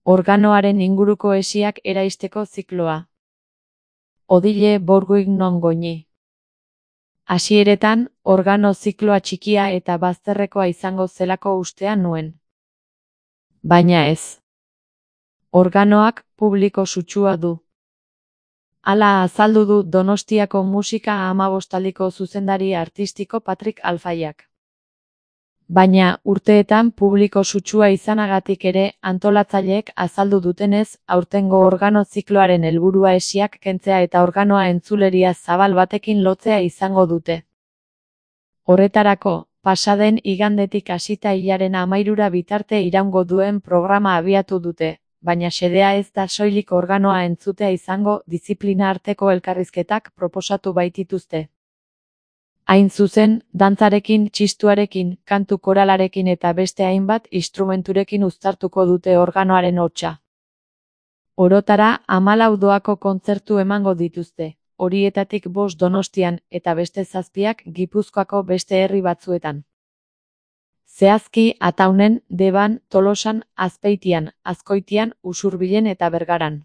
Organoaren inguruko hesiak eraisteko zikloa. Odile Bourguignon Goñi. Hasieretan, organo zikloa txikia eta bazterrekoa izango zelako ustea nuen. Baina ez. Organoak publiko sutsua du. Hala azaldu du Donostiako musika 15aldiko zuzendari artistiko Patrik Alfaiak. Baina, urteetan publiko sutsua izanagatik ere, antolatzaileek azaldu dutenez, aurtengo organo zikloaren helburua hesiak kentzea eta organoa entzuleria zabal batekin lotzea izango dute. Horretarako, pasaden igandetik hasita hilaren 13 bitarte iraungo duen programa abiatu dute, baina xedea ez da soilik organoa entzutea izango, diziplina arteko elkarrizketak proposatu baitituzte. Hain zuzen, dantzarekin, txistuarekin, kantu koralarekin eta beste hainbat instrumenturekin uztartuko dute organoaren hotsa. Orotara, 14 doako kontzertu emango dituzte, horietatik 5 Donostian eta beste 7 Gipuzkoako beste herri batzuetan. Zehazki, Ataunen, Deban, Tolosan, Azpeitian, Azkoitian, Usurbilen eta Bergaran.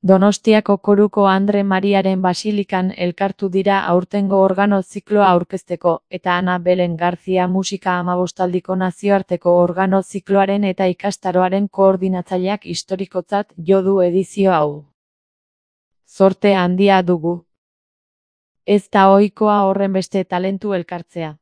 Donostiako Koruko Andre Mariaren basilikan elkartu dira aurtengo organo zikloa aurkezteko, eta Ana Belen Garzia musika 15aldiko nazioarteko organo zikloaren eta ikastaroaren koordinatzaileak historikotzat jo du edizio hau. Zorte handia dugu. Ez da ohikoa horrenbeste talentu elkartzea.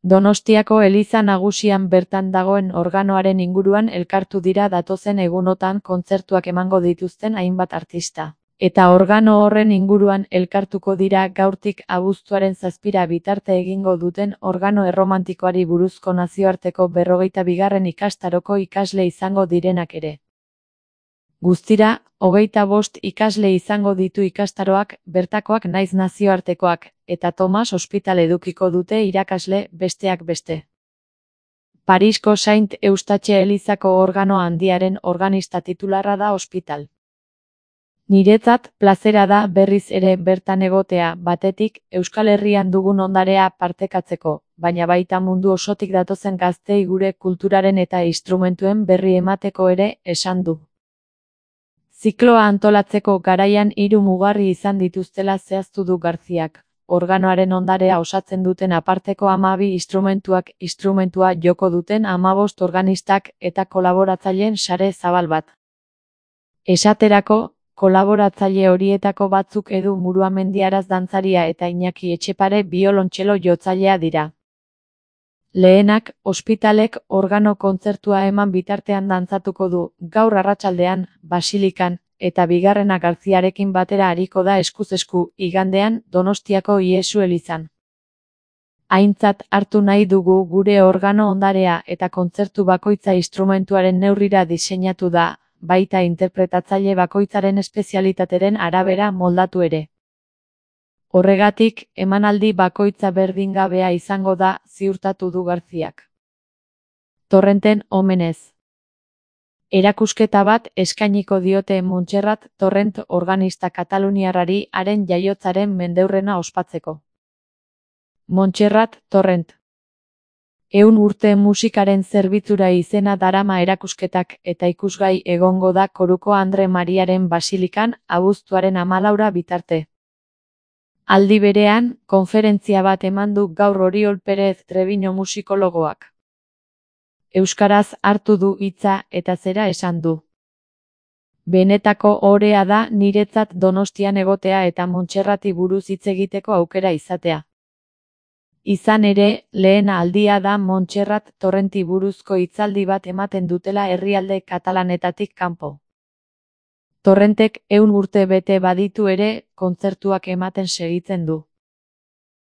Donostiako eliza nagusian bertan dagoen organoaren inguruan elkartu dira datozen egunotan kontzertuak emango dituzten hainbat artista. Eta organo horren inguruan elkartuko dira gaurtik abuztuaren 7 bitarte egingo duten organo erromantikoari buruzko nazioarteko 42. ikastaroko ikasle izango direnak ere. Guztira, 25 ikasle izango ditu ikastaroak, bertakoak naiz nazioartekoak, eta Tomas Hospital edukiko dute irakasle, besteak beste. Parisko Saint Eustache elizako organo handiaren organista titularra da Hospital. Niretzat, plazera da berriz ere bertan egotea, batetik, Euskal Herrian dugun ondarea partekatzeko, baina baita mundu osotik datozen gaztei gure kulturaren eta instrumentuen berri emateko ere, esan du. Zikloa antolatzeko garaian 3 mugarri izan dituztela zehaztu du Garziak, organoaren ondarea osatzen duten aparteko 12 instrumentua joko duten 15 organistak eta kolaboratzaileen sare zabal bat. Esaterako, kolaboratzaile horietako batzuk Edu Muruamendiaraz dantzaria eta Iñaki Etxepare biolontxelo jotzailea dira. Lehenak, Hospitalek organo kontzertua eman bitartean dantzatuko du, gaur arratsaldean, basilikan, eta bigarrena Garziarekin batera ariko da eskuz esku, igandean, Donostiako Iesu elizan. Aintzat hartu nahi dugu gure organo ondarea eta kontzertu bakoitza instrumentuaren neurrira diseinatu da, baita interpretatzaile bakoitzaren espezialitateren arabera moldatu ere. Horregatik, emanaldi bakoitza berdingabea izango da, ziurtatu du Garziak. Torrenten omenez. Erakusketa bat eskainiko diote Montserrat Torrent organista kataluniarrari haren jaiotzaren mendeurrena ospatzeko. Montserrat Torrent. 100 urte musikaren zerbitzura izena darama erakusketak eta ikusgai egongo da Koruko Andre Mariaren basilikan abuztuaren 14 bitarte. Aldi berean, konferentzia bat eman du gaur Oriol Pérez Treviño musikologoak. Euskaraz hartu du hitza eta zera esan du. Benetako orea da niretzat Donostian egotea eta Montserrati buruz hitz egiteko aukera izatea. Izan ere, lehen aldia da Montserrat Torrenti buruzko hitzaldi bat ematen dutela herrialde katalanetatik kanpo. Torrentek 100 urte bete baditu ere, kontzertuak ematen segitzen du.